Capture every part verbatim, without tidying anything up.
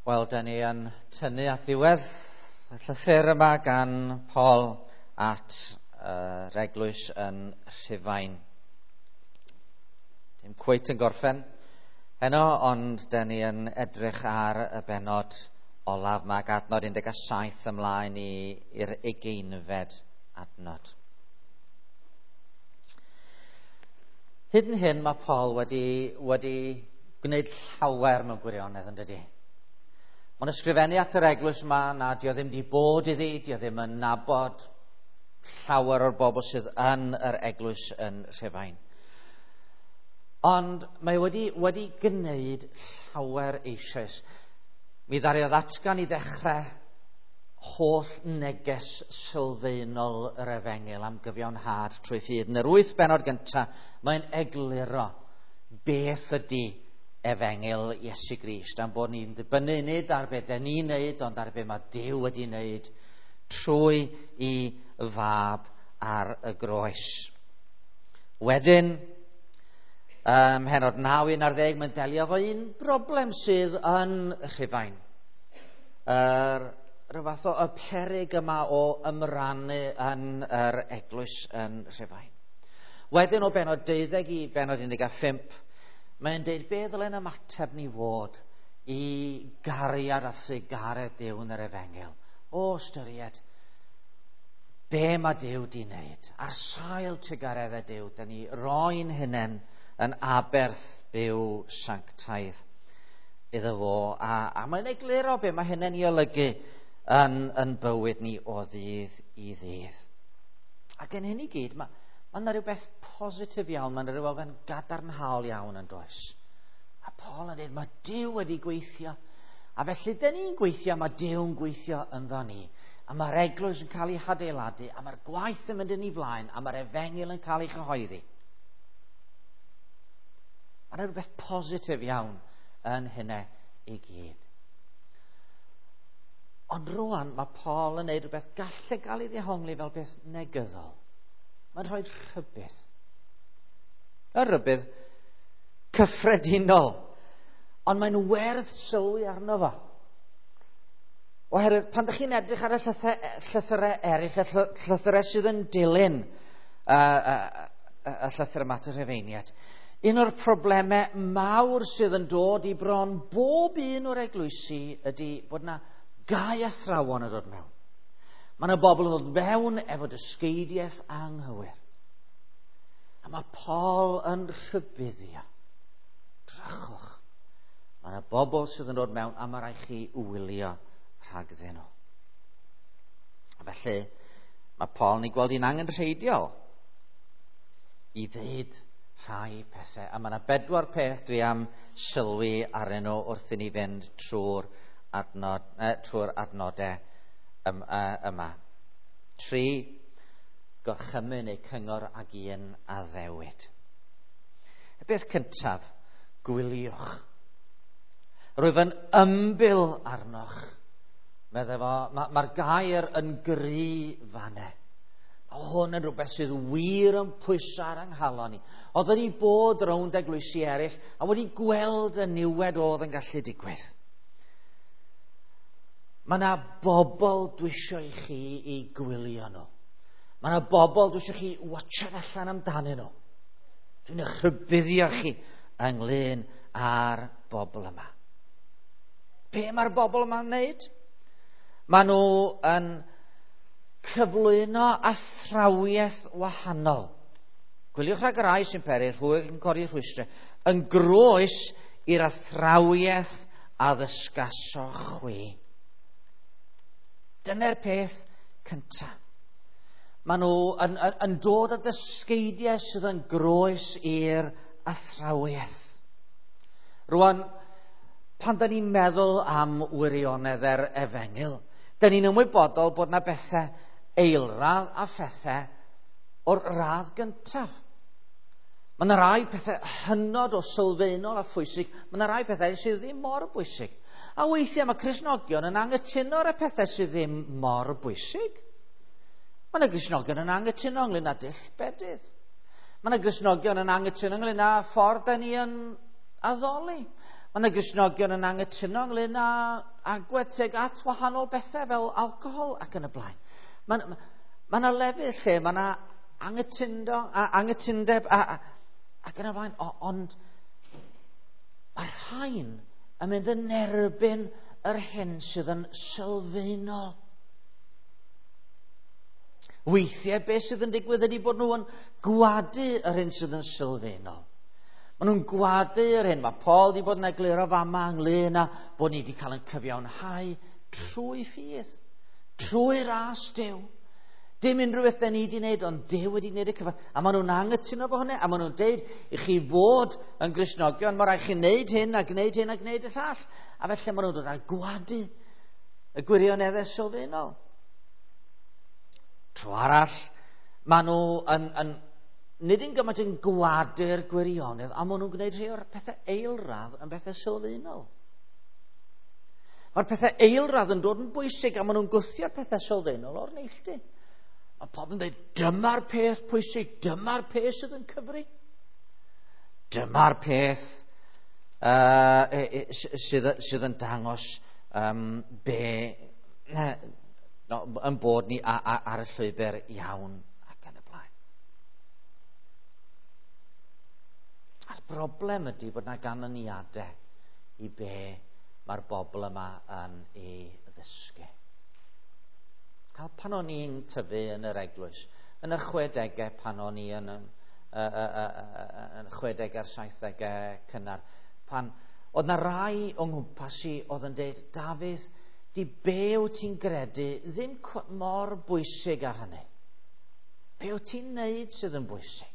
Wel, da ni yn tynnu at ddiwedd y llythyr yma gan Paul at yr uh, eglwys yn Rhufain. Dim cweit yn gorffen heno, ond da ni yn edrych ar y bennod olaf yma, ac adnod un deg saith ymlaen i'r ugeinfed adnod. Hyd yn hyn mae Paul wedi, wedi gwneud llawer mewn gwirionedd, yn dydi? Mae'n ysgrifennu at yr eglwys yma na dio ddim di bod iddi, dio ddim yn nabod llawer o'r bobl sydd yn yr eglwys yn Rhufain. Ond mae wedi, wedi gwneud llawer eisoes. Mi ddariodd atgan i ddechrau holl neges sylfaenol yr efengyl am gyfiawnhad trwy ffydd. Yn yr wyth bennod gyntaf, mae'n egluro beth ydy efengyl Iesu Grist, am bod ni'n dibynnu nid ar be dan ni'n neud, ond ar be mae Duw wedi wneud trwy i fab ar y groes. Wedyn, ym mhennod naw un ar ddeg, mae'n delio efo un broblem sydd yn Rhufain. Yr rhyw fath o y peryg yma o ymrannu yn yr eglwys yn Rhufain. Wedyn o bennod deuddeg i bennod un deg pump, mae'n deud be ddylen ymateb ni fod i gariad a thrugaredd Duw yn yr efengyl. O ystyried be mae Duw di wneud. Ar sail trugareddau Duw, da ni roi'n hunain yn aberth byw sanctaidd iddo fo. A, a mae'n egluro be mae hynny'n ei olygu yn, yn bywyd ni o ddydd i ddydd. Ac yn hyn i gyd, mae Mae yna rhywbeth positif iawn, mae yna rhyw elfen gadarnhaol iawn yn does. A Paul yn dweud, mae Duw wedi gweithio. A felly, dyn ni'n gweithio, mae Duw'n gweithio ynddo ni. A mae'r eglwys yn cael ei hadeiladu, a mae'r gwaith yn mynd yn ei flaen, a mae'r efengyl yn cael ei chyhoeddi. Mae yna rhywbeth positif iawn yn hynny i gyd. Ond rwan, mae Paul yn gwneud rhywbeth gallai gael ei ddehongli fel beth negyddol. Mae'n rhoi rhybudd. Y rhybudd cyffredinol. Ond mae'n werth sylwi arno fo. Oherwydd pan ydych chi'n edrych ar y llythyrau eraill, y llythyrau sydd yn dilyn y, y, y, y llythyr yma at y Rhufeiniaid, un o'r problemau mawr sydd yn dod i bron bob un o'r eglwysi ydy bod yna gau athrawon yn dod mewn. Mae yna bobl yn dod fewn efo dysgeidiaeth anghywir. A mae Paul yn rhybuddio. Drychwch. Mae yna bobl sydd yn dod mewn a mae rhaid chi wylio rhagddyn nhw. A felly, mae Paul yn ei gweld hi'n angenrheidiol i ddeud rhai pethau. A mae yna bedwar peth dwi am sylwi arnyn nhw wrth i ni fynd trwy'r adnod, eh, trwy'r adnodau yma. Tri, gorchymyn neu cyngor ag un addewid. Y beth cyntaf, gwyliwch. Rwyf yn ymbil arnoch. Meddai fo, mae'r ma gair yn gry fanne. Mae hwn yn rhywbeth sydd wir yn pwyso ar yng nghalon ni. Oedden ni bod rownd eglwysi eraill a wedi gweld y niwed oedd yn gallu digwydd. Mae yna bobl dwi eisiau i chi i gwylio nhw. Mae yna bobl dwi eisiau chi watchad allan amdanyn nhw. Dwi'n eich rhybuddio chi ynglyn â'r bobl yma. Be mae'r bobl yma'n wneud? Maen nhw yn cyflwyno athrawiaeth wahanol. Gwyliwch rhag yr rai sy'n peri, rhwyg yn codi rhwystrau, yn groes i'r athrawiaeth a ddysgasoch chwi. Dyna'r peth cyntaf. Maen nhw yn, yn, yn dod â dysgeidiau sydd yn groes i'r athrawiaeth. Rwan, pan da ni'n meddwl am wirionedd yr efengyl, da ni'n ymwybodol bod na bethau eilradd a phethau o'r radd gyntaf. Mae yna rai pethau hynod o sylfaenol a phwysig, mae yna rai pethau sydd ddim mor bwysig. A weithiau mae Cristnogion yn anghytuno ar y pethau sydd ddim mor bwysig. Mae yna Gristnogion yn anghytuno ynglyn â dull bedydd. Mae yna Gristnogion yn anghytuno ynglyn â ffordd da ni yn addoli. Mae yna Gristnogion yn anghytuno ynglyn â agwedd tuag at wahanol bethau fel alcohol ac yn y blaen. Mae ma yna lefydd lle mae yna anghytundo, a, anghytundeb a, a, ac yn y blaen, o, ond mae rhain yn mynd yn erbyn yr hyn sydd yn sylfaenol. Weithiau beth sydd yn digwydd ydy bod nhw yn gwadu yr hyn sydd yn sylfaenol. Maen nhw'n gwadu yr hyn. Mae Paul wedi bod yn egluro fama ynglyn â bod ni wedi cael ein cyfiawnhau trwy ffydd, trwy ras Duw. Dim unrhyw beth da ni wedi wneud, ond Duw wedi wneud y cyfan. A maen nhw'n anghytuno fo hynny, a maen nhw'n deud i chi fod yn Gristnogion, mae rhaid chi wneud hyn a gwneud hyn a gwneud y llall. A felly maen nhw'n dod â gwadu y gwirioneddau sylfaenol. Tro arall, maen nhw yn, yn, nid yn gymaint yn gwadu'r gwirionedd, a maen nhw'n gwneud rhai o'r pethau eilradd yn bethau sylfaenol. Mae'r pethau eilradd yn dod yn bwysig, a maen nhw'n gwthio'r pethau sylfaenol o'r neilltu. Mae pobl yn dweud, dyma'r peth pwysig, dyma'r peth sydd yn cyfri. Dyma'r peth uh, sydd, sydd yn dangos um, be, no, yn bod ni a, a, ar y llwybr iawn ac yn y blaen. A'r broblem ydy bod yna ganlyniadau i be mae'r bobl yma yn ei ddysgu. Cael pan o'n i'n tyfu yn yr eglwys, yn y chwedegau pan o'n i yn, yn, yn chwedegau'r saithdegau cynnar, pan oedd na rai o'n nghwmpas i oedd yn deud, Dafydd, di be wyt ti'n gredu ddim mor bwysig â hynny. Be wyt ti'n neud sydd yn bwysig?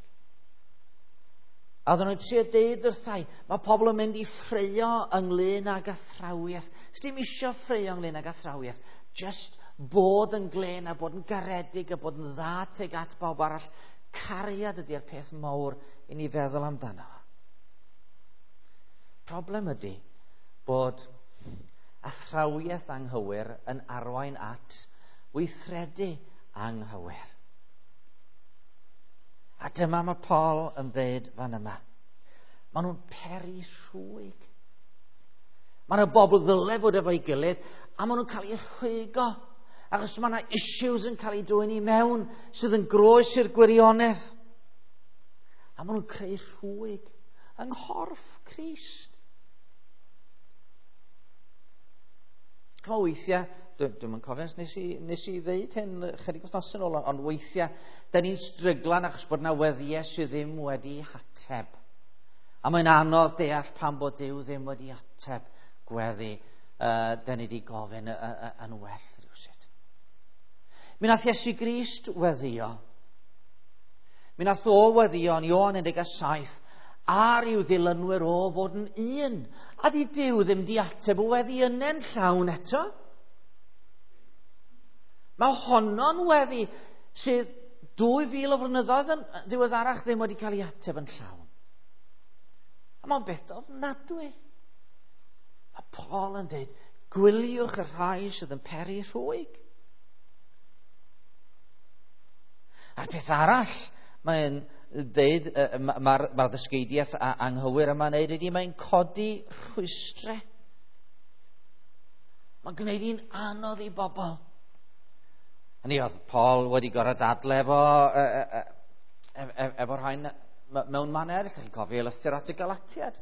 A oedden nhw'n trio deud wrthai, mae pobl yn mynd i ffreio ynglyn ag athrawiaeth. Sdim isio ffreio ynglyn ag athrawiaeth. Just bod yn glên a bod yn garedig a bod yn dda tuag at bawb arall. Cariad ydy'r peth mawr i ni feddwl amdano. Problem ydy bod athrawiaeth anghywir yn arwain at weithredu anghywir. A dyma mae Paul yn dweud fan yma. Maen nhw'n peri rhwyg. Mae yna bobl ddyle fod efo'i gilydd a maen nhw'n cael eu rhwygo. Achos mae yna issues yn cael eu dwyn i mewn sydd yn groes i'r gwirionedd. A maen nhw'n creu rhwyg yng nghorff Crist. Chymod, weithiau, dwi'm yn cofio, nes i, nes i ddeud hyn chydig wythnos yn ôl, ond weithiau, da ni'n stryglan achos bod yna weddiau sydd ddim wedi hateb. A mae'n anodd deall pam bod Duw ddim wedi ateb gweddi uh, da ni wedi gofyn yn well rhywsut. Mi nath Iesu Grist weddio. Mi nath o weddio yn Ioan un deg saith ar i'w ddilynwyr o fod yn un. A di Duw ddim di ateb o weddi yna'n llawn eto. Mae honno'n weddi sydd dwy fil o flynyddoedd yn ddiweddarach ddim wedi cael ei ateb yn llawn. A mae'n beth ofnadwy. Mae Paul yn dweud, gwyliwch y rhai sydd yn peri rhwyg. A'r peth arall mae'n dweud, mae'r ma ddysgeidiaeth anghywir yma'n neud ydy, mae'n codi rhwystrau. Mae'n gwneud hi'n anodd i bobl. Hynny oedd Paul wedi gorfod dadle efo, e, e, e, efo rhain mewn man eraill. Chi'n cofio lythyr at y Galatiad,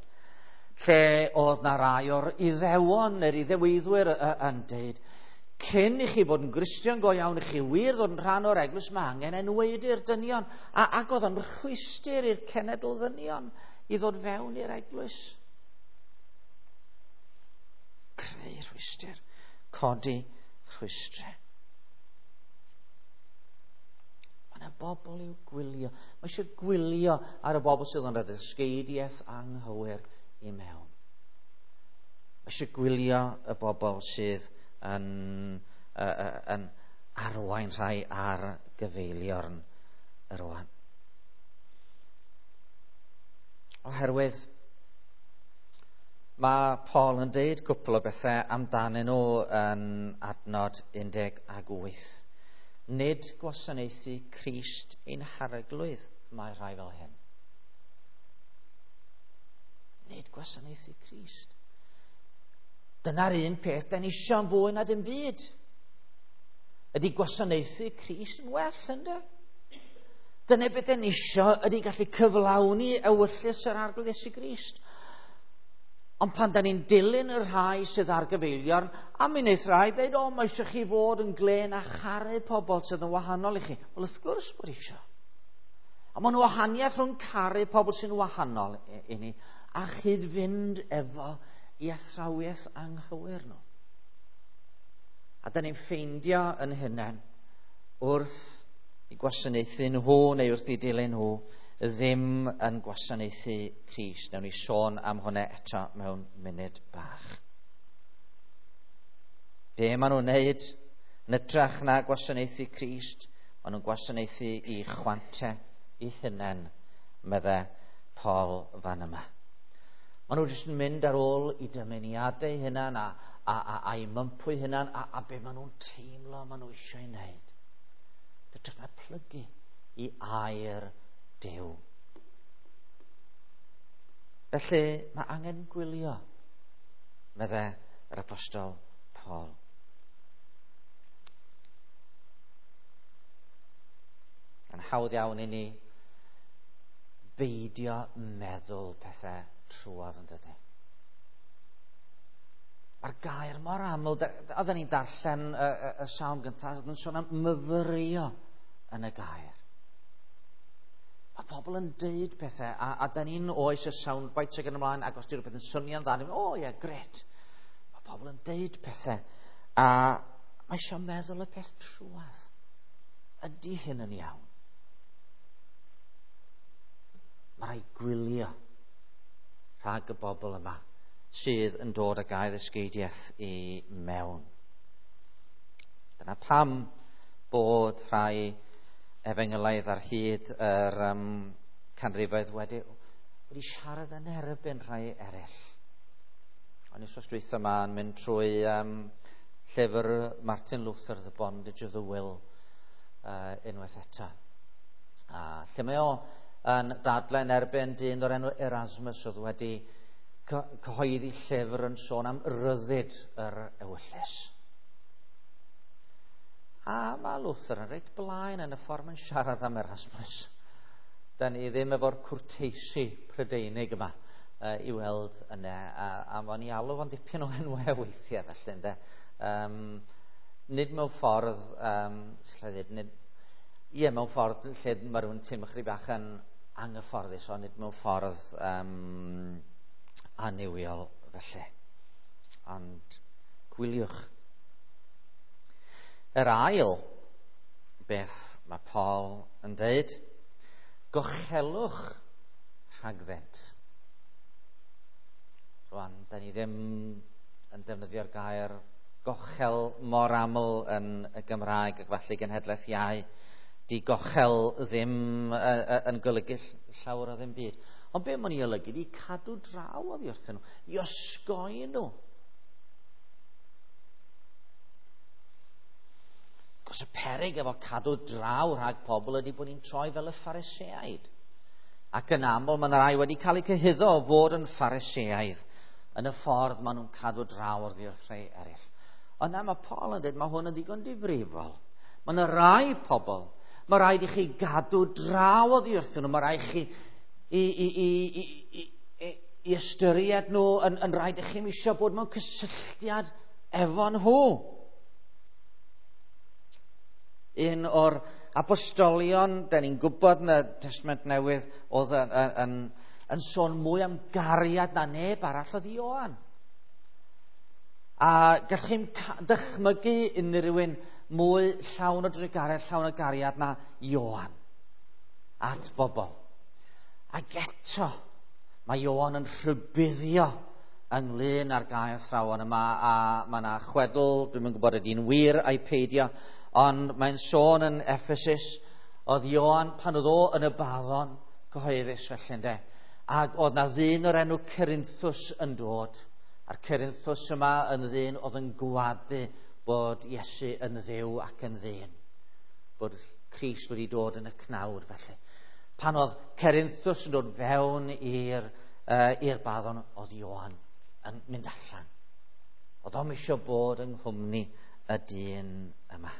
lle oedd na rai o'r Iddewon neu'r Iddewiddwyr yn deud, cyn i chi fod yn Gristion go iawn, i chi wir ddod yn rhan o'r eglwys, mae angen enwaedu'r dynion. A, ac oedd o'n rhwystr i'r cenedl ddynion i ddod fewn i'r eglwys. Creu rhwystr, codi rhwystrau. Mae yna bobl i'w gwylio. Mae eisiau gwylio ar y bobl sydd yn rhoi ddysgeidiaeth anghywir i mewn. Mae eisiau gwylio y bobl sydd yn, uh, yn arwain rhai ar gyfeiliorn yr oan. Oherwydd mae Paul yn deud cwpl o bethau amdanyn nhw yn adnod un deg wyth. Nid gwasanaethu Crist ein harglwydd mae rhai fel hyn. Nid gwasanaethu Crist. Dyna'r un peth da ni isio yn fwy na dim byd. Ydy gwasanaethu Crist yn well, ynddo? Dyna beth da ni isio ydy gallu cyflawni ewyllys yr Arglwydd Iesu Grist. Ond pan da ni'n dilyn y rhai sydd ar gyfeiliorn, a mi wneith rhai dweud, o, mae eisiau chi fod yn glên a charu pobl sydd yn wahanol i chi. Wel, wrth gwrs bod eisiau. A mae'n wahaniaeth rhwng caru pobl sy'n wahanol i, i ni a chyd-fynd efo i athrawiaeth anghywir nhw. A da ni'n ffeindio yn hunain wrth i gwasanaethu nhw neu wrth i dilyn nhw ddim yn gwasanaethu Crist. Nawn ni sôn am hwnna eto mewn munud bach. Be maen nhw'n wneud yn hytrach na gwasanaethu Crist? Maen nhw'n gwasanaethu i chwante i hunain, medde Paul fan yma. Maen nhw jyst yn mynd ar ôl i dymuniadau hunain a, a, a, a i mympwy hunain a, a be maen nhw'n teimlo maen nhw eisiau ei wneud. Hytrach na plygu i air Duw. Felly mae angen gwylio, medde yr apostol Paul. Yn hawdd iawn i ni beidio meddwl pethau trwodd, yn dydy. Mae'r gair mor aml, oedden ni'n darllen y, y, y salm gyntaf, oedd yn sôn am myfyrio yn y gair. Mae pobl yn deud pethau, a, a da ni'n oes y soundbites ac yn ymlaen, ac os di rhywbeth yn swnio'n dda, ni'n mynd, o ie, gret. Mae pobl yn deud pethau, a mae eisiau meddwl y peth trwadd. Ydy hyn yn iawn? Mae rhaid gwylio rhag y bobl yma sydd yn dod ag ail ddysgeidiaeth i mewn. Dyna pam bod rhai efengylaidd ar hyd yr um, canrifoedd wedi, wedi siarad yn erbyn rhai eraill. O'n i wythnos dwytha yma yn mynd trwy um, llyfr Martin Luther, The Bondage of the Will, uh, unwaith eto. A lle mae o yn dadlau yn erbyn dyn o'r enw Erasmus oedd wedi cyhoeddi llyfr yn sôn am ryddid yr ewyllys. A mae Luther yn reit blaen yn y ffordd mae'n siarad am Erasmus. Da ni ddim efo'r cwrteisi Prydeinig yma uh, i weld yna. A, a o'n i alw fo'n dipyn o enwau weithiau felly, ynde. Um, nid mewn ffordd, um, lle ddweud, nid, ie, mewn ffordd lle mae rhywun teimlo chydig bach yn anghyfforddus, ond nid mewn ffordd um, annuwiol felly. Ond gwyliwch. Yr ail beth mae Paul yn dweud, gochelwch rhagddynt. Rwan, da ni ddim yn defnyddio'r gair gochel mor aml yn y Gymraeg ac falle genhedlaeth iau. Di gochel ddim yn golygu llawer o ddim byd. Ond be mae'n ei olygu di cadw draw oddi wrthyn nhw, i osgoi nhw. Cos y peryg efo cadw draw rhag pobl ydy bod ni'n troi fel y Phariseaid. Ac yn aml mae yna rai wedi cael eu cyhuddo o fod yn Phariseaidd yn y ffordd maen nhw'n cadw draw oddi wrth rhai eraill. Ond na, mae Paul yn dweud mae hwn yn ddigon difrifol. Mae yna rai pobl, mae rhaid i chi gadw draw oddi wrthyn nhw, mae rhaid i chi i, i, i, i, i, i ystyried nhw, yn, yn rhaid i chi'm eisiau bod mewn cysylltiad efo nhw. Un o'r apostolion, da ni'n gwybod yn y Testament Newydd, oedd yn, yn, yn, yn sôn mwy am gariad na neb arall oedd Ioan. A gallwch chi'm dychmygu unrhyw un mwy llawn o drugaredd, llawn o gariad na Ioan at bobl. Ac eto, mae Ioan yn rhybuddio ynglyn â'r gair athrawon yma, a mae yna chwedl, dwi'm yn gwybod ydy'n wir ai peidio, ond mae'n sôn yn Ephesus, oedd Ioan pan oedd o yn y baddon cyhoeddus felly, ynde, ac oedd na ddyn o'r enw Cerinthus yn dod, a'r Cerinthus yma yn ddyn oedd yn gwadu bod Iesu yn Dduw ac yn ddyn, bod Crist wedi dod yn y cnawd felly. Pan oedd Cerinthus yn dod fewn i'r uh, i'r baddon, oedd Ioan yn mynd allan. Oedd o'm eisiau bod yng nghwmni y dyn yma.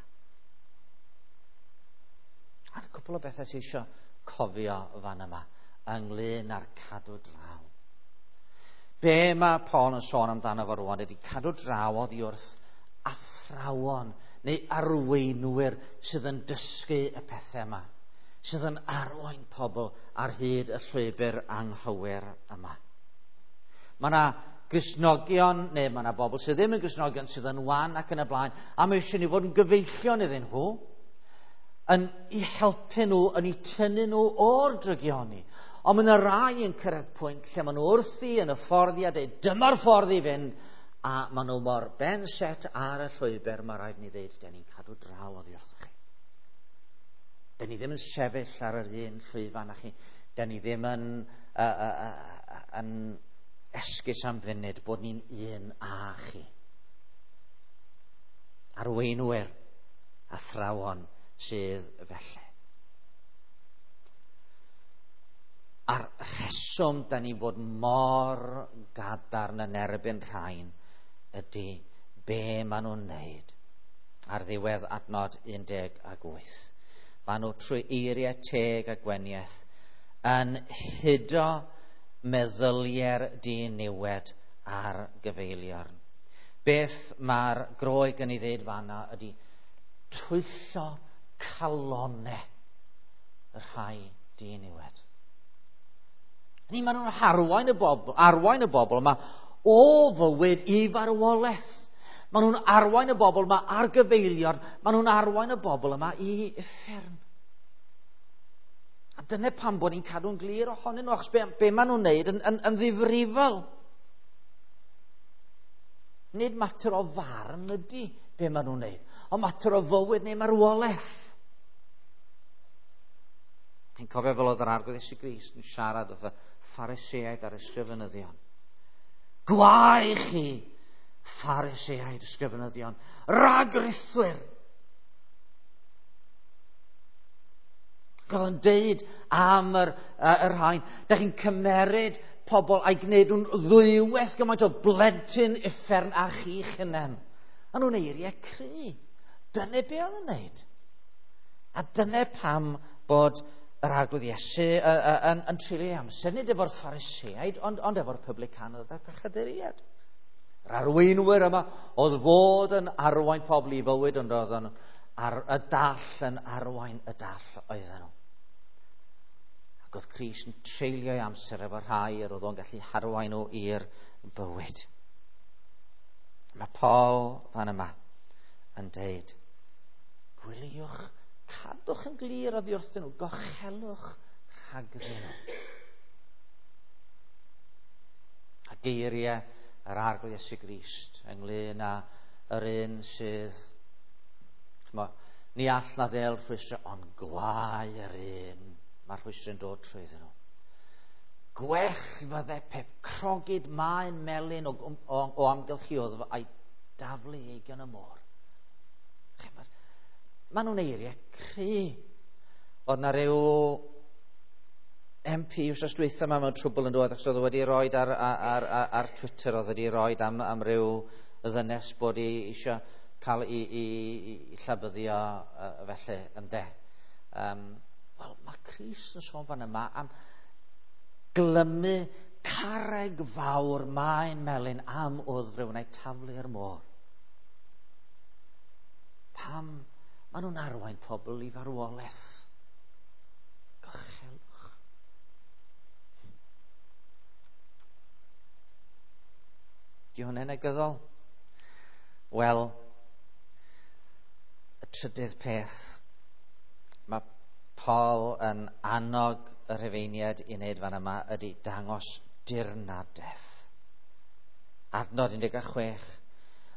A'r cwpl o bethau sydd eisiau cofio fan yma ynglyn â'r cadw draw. Be mae Paul yn sôn amdano fo rwan ydy cadw draw oddi wrth athrawon neu arweinwyr sydd yn dysgu y pethau yma, sydd yn arwain pobl ar hyd y llwybr anghywir yma. Mae yna Gristnogion, neu mae yna bobl sydd ddim yn Gristnogion sydd yn wan ac yn y blaen, a mae eisiau ni fod yn gyfeillion iddyn nhw, yn eu helpu nhw, yn eu tynnu nhw o'r drygioni. Ond mae yna rai yn cyrraedd pwynt lle maen nhw wrthi yn y ffordd i a dweud, dyma'r ffordd i fynd, a maen nhw mor ben set ar y llwybr, mae rhaid ni ddeud, den ni'n cadw draw oddi wrthoch chi. Den ni ddim yn sefyll ar yr un llwyfan â chi. Den ni ddim yn, uh, uh, uh, yn esgus am funud bod ni'n un â chi. Arweinwyr, athrawon sydd felly. A'r rheswm da ni fod mor gadarn yn erbyn rhain ydy be maen nhw'n wneud ar ddiwedd adnod un deg wyth. Maen nhw trwy eiriau teg a gweniaeth yn hudo meddyliau'r diniwed ar gyfeiliorn. Beth mae'r Groeg yn ei ddeud fanna ydy twyllo calonau y rhai diniwed. Ni maen nhw'n arwain y bobl, arwain y bobl yma o fywyd i farwolaeth. Maen nhw'n arwain y bobl yma ar gyfeiliorn. Maen nhw'n arwain y bobl yma i uffern. A dyna pam bod ni'n cadw'n glir ohonyn nhw, achos be, be maen nhw'n neud yn, yn, yn ddifrifol. Nid mater o farn ydy be maen nhw'n neud, ond mater o fywyd neu marwolaeth. Chi'n cofio fel oedd yr Arglwydd Iesu Grist yn siarad wrth y Phariseaid a'r ysgrifenyddion. Gwae chi, Phariseaid, ysgrifenyddion, ragrithwyr! Oedd o'n deud am yr, yr rhain, da chi'n cymeryd pobl a'i gwneud nhw'n ddwywaith gymaint o blentyn uffern a chi'ch hunain. A nhw'n eiriau cry. Dyna be oedd yn neud. A dyna pam bod yr Arglwydd Iesu yn, yn treulio ei amser, nid efo'r Phariseaid, ond, ond efo'r publicanoedd a'r pechaduriaid. Yr arweinwyr yma oedd fod yn arwain pobl i fywyd, ond oedd yn ar y dall yn arwain y dall oedden nhw. Ac oedd Crist yn treulio ei amser efo rhai yr oedd o'n gallu harwain nhw i'r bywyd. Mae Paul fan yma yn deud, gwyliwch, cadwch yn glir oddi wrthyn nhw, gochelwch rhagddyn nhw. A geiriau yr Arglwydd Iesu Grist ynglyn â yr un sydd, ch'mo, ni all na ddel rhwystro, ond gwae yr un mae'r rhwystrau'n dod trwyddyn nhw. Gwell fydde pe crogid maen melyn o, o, o amgylch i wddf a'i daflu eigion y môr. Maen nhw'n eiriau cry. Oedd na ryw M P wsos dwytha yma mewn trwbl yn dod, achos oedd wedi roed ar, ar, ar, ar Twitter, oedd wedi roed am, am ryw ddynes bod i eisiau cael ei, i, i, i llabyddio uh, felly ynde. Um, Wel, mae Crist yn sôn fan yma am glymu carreg fawr maen melyn am wddf rhywun a'i taflu i'r môr. Pam maen nhw'n arwain pobl i farwolaeth? Gochelwch. Di hwnna'n negyddol? Wel, y trydydd peth, mae Paul yn annog y Rhufeiniaid i wneud fan yma ydy dangos dirnadaeth. Adnod un deg chwech.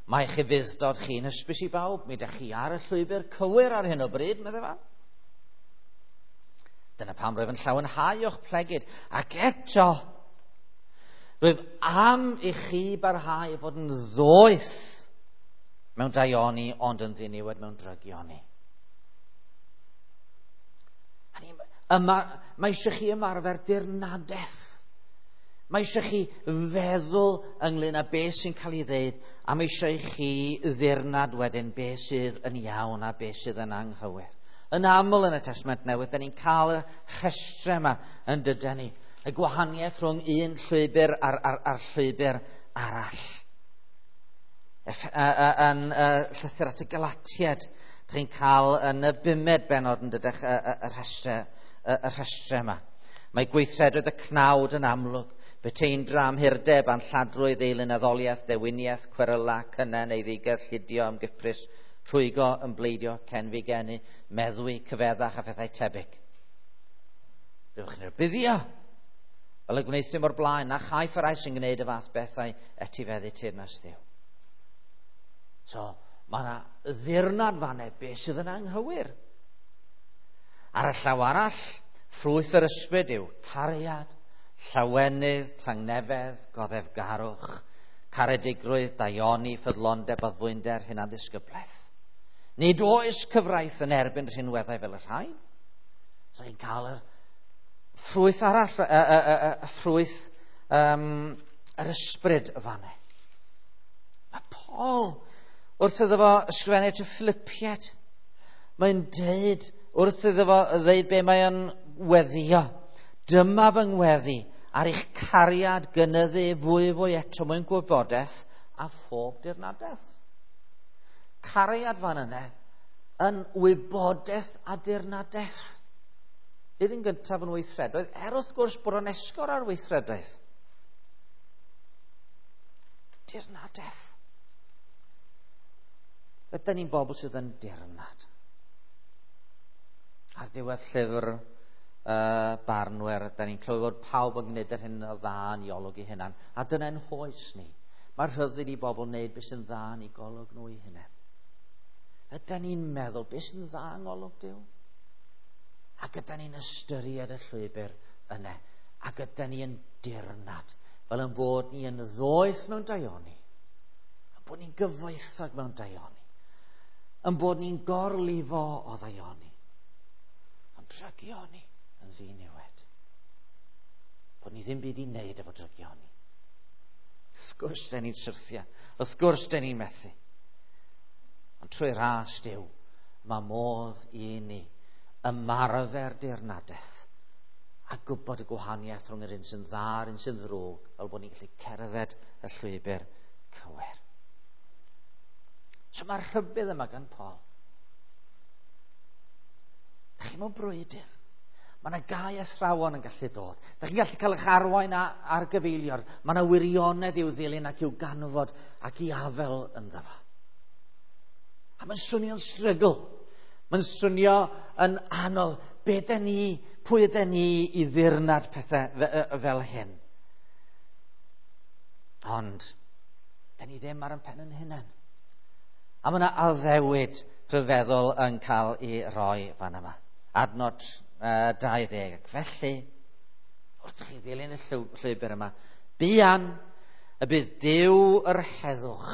Mae eich ufudd-dod chi'n hysbys i bawb. Mi ydych chi ar y llwybr cywir ar hyn o bryd, meddai fa. Dyna pam rwyf yn llawenhau o'ch plegid. Ac eto, rwyf am i chi barhau fod yn ddoeth mewn daioni, ond yn ddiniwed mewn drygioni. Yma, mae eisiau chi ymarfer dirnadaeth. Mae eisiau chi feddwl ynglyn â beth sy'n cael ei ddeud, a mae eisiau i chi ddirnad wedyn beth sydd yn iawn a beth sydd yn anghywir. Yn aml yn y Testament Newydd, da ni'n cael y rhestrau yma yn dydan ni. Y gwahaniaeth rhwng un llwybr a'r, a'r, a'r llwybr arall. Yn llythyr at y Galatiaid, da chi'n cael yn y bumed bennod yn dydych y, y, y rhestrau, y, y rhestrau yma. Mae gweithredoedd y cnawd yn amlwg. Beteindra, amhurdeb, anlladrwydd, eilunaddoliaeth, dewiniaeth, cweryla, cynnen, eiddigedd, llidio, ymgyprys, rhwygo, ymbleidio, cenfigenu, meddwi, cyfeddach a phethau tebyg. Byddwch chi'n rhybuddio, fel y gwneuthum o'r blaen, na chaiff yr rhai sy'n gwneud y fath bethau etifeddu teyrnas Dduw. So, mae yna ddirnad fanne beth sydd yn anghywir. Ar y llaw arall, ffrwyth yr ysbryd yw cariad, llawenydd, tangnefedd, goddefgarwch, caredigrwydd, daioni, ffyddlondeb, addfwynder, hunanddisgyblaeth. Nid oes cyfraith yn erbyn rhinweddau fel y rhain. So chi'n cael y ffrwyth arall, y, y, y, y ffrwyth um, yr ysbryd y fanne. Mae Paul, wrth iddo fo ysgrifennu at y Philippiaid, mae'n deud, wrth iddo fo ddeud be mae'n weddio. Dyma fy ngweddi ar eich cariad gynyddu fwy fwy eto mwyn gwybodaeth a phob dirnadaeth. Cariad fan yna yn wybodaeth a dirnadaeth. Nid yn gyntaf yn weithredoedd, er wrth gwrs bod o'n esgor ar weithredoedd. Dirnadaeth. Ydyn ni'n bobl sydd yn dirnad. Ar ddiwedd llyfr Uh, barnwyr, da ni'n clywed bod pawb yn gwneud yr hyn o dda yn ei olwg ei hunan. A dyna'n hoes ni. Mae rhyddid i bobl wneud beth sy'n dda yn ei golwg nhw eu hunain. Ydan ni'n meddwl beth sy'n dda yng ngolwg Duw? Ac ydan ni'n ystyried y llwybr yna. Ac ydan ni yn dirnad, fel yn bod ni yn ddoeth mewn daioni. Yn bod ni'n gyfoethog mewn daioni. Yn bod ni'n gorlifo o ddaioni. Ond drygioni yn ddiniwed. Bod ni ddim byd i wneud efo drygioni. Wrth gwrs den ni'n syrthio. Wrth gwrs den ni'n methu. Ond trwy ras Duw, mae modd i ni ymarfer dirnadaeth a gwybod y gwahaniaeth rhwng yr un sy'n dda a'r un sy'n ddrwg, fel bod ni'n gallu cerdded y llwybr cywir. So mae'r rhybudd yma gan Paul. Da chi mewn brwydr. Mae yna gau athrawon yn gallu dod. Da chi'n gallu cael eich arwain ar gyfeilior. Mae yna wirionedd i'w ddilyn ac i'w ganfod ac i afel ynddo fo. A mae'n swnio'n strygl. Mae'n swnio yn anodd. Be den ni, pwy yden ni i ddirnad pethau fel hyn? Ond, den ni ddim ar ein pen yn hunain. A mae yna addewid rhyfeddol yn cael ei roi fan yma. Adnod uh, dau ddeg. Ac felly, wrth chi ddilyn y llwybr yma, buan y bydd Duw yr heddwch.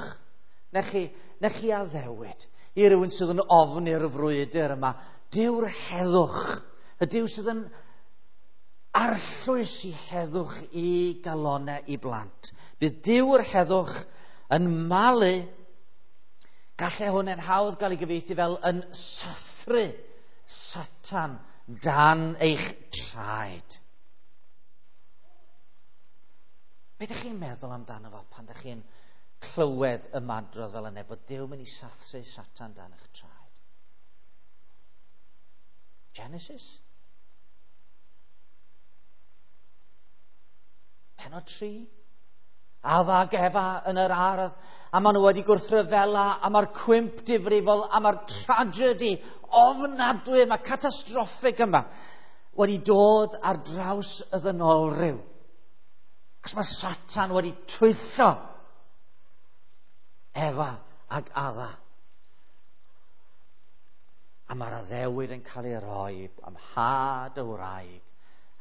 Nech chi, nech chi addewid i rywun sydd yn ofni'r frwydr yma. Duw'r heddwch. Y Duw sydd yn arllwys i heddwch i galonau i blant. Bydd Duw'r heddwch yn malu. Gallai hwn yn hawdd gael ei gyfieithu fel yn sathru Satan dan eich traed. Be ydych chi'n meddwl amdano fo pan ydych chi'n clywed ymadrodd fel yna, bod Duw mynd i sathru Satan dan eich traed? Genesis? Pennod tri? Adda ac Efa yn yr ardd, a maen nhw wedi gwrthryfela, a mae'r cwymp difrifol, a mae'r tragedy ofnadwy, mae catastroffig yma wedi dod ar draws y ddynolryw. Cos mae Satan wedi twyllo Efa ac Adda. A mae'r addewid yn cael ei roi am had y wraig.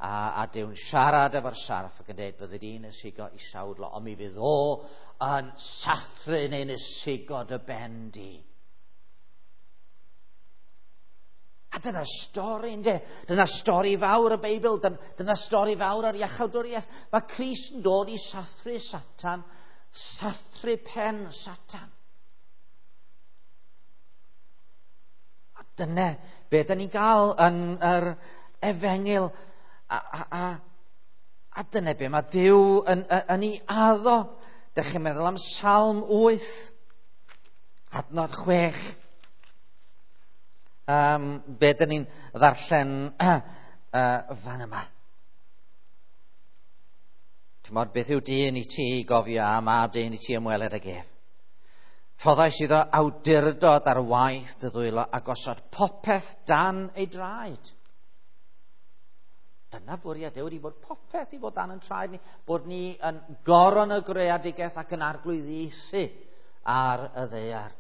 A, a Duw'n siarad efo'r sarff ac yn dweud bydde di'n ysigo i sawdlo, ond mi fydd o yn sathru neu'n ysigo dy ben di. A dyna stori, yndê? Dyna stori fawr y Beibl, dyna stori fawr ar iachawdwriaeth. Mae Crist yn dod i sathru Satan, sathru pen Satan. A dyna be da ni'n gael yn yr efengyl. A, a, a, a dyna be mae Duw yn, yn, yn ei addo. Dych chi'n meddwl am Salm wyth, adnod chwech. Um, be dyn ni'n ddarllen uh, uh, fan yma. T'mod, beth yw dyn i ti i gofio a mab dyn i ti ymweled ag ef? Rhoddais iddo awdurdod ar waith dy ddwylo a gosod popeth dan ei draed. Dyna fwriad Duw, wedi bod popeth i fod dan yn traed ni, bod ni yn goron y greadigaeth ac yn arglwyddiaethu ar y ddaear,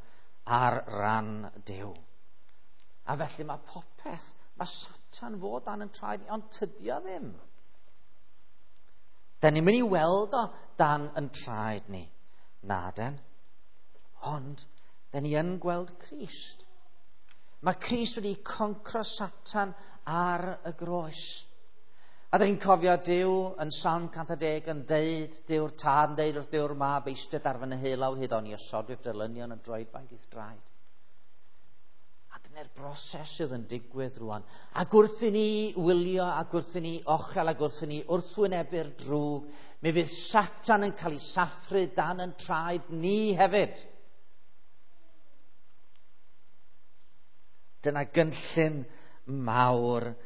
ar ran Duw. A felly mae popeth, mae Satan fod dan yn traed ni, ond tydi o ddim. Da ni'n mynd i weld o dan yn traed ni. Na den. Ond, da ni yn gweld Crist. Mae Crist wedi concro Satan ar y groes. A da ni'n cofio Duw yn Salm cant a deg yn deud, Duw'r Tad yn deud wrth Duw'r Mab, eistedd ar fy nheulaw hyd oni osodwyf dy elynion yn droedfainc i'th draed. A dyna'r broses sydd yn digwydd rwan. Ac wrth i ni wylio, ac wrth i ni ochel, ac wrth i ni wrthwynebu'r drwg, mi fydd Satan yn cael ei sathru dan yn traed ni hefyd. Dyna gynllun mawr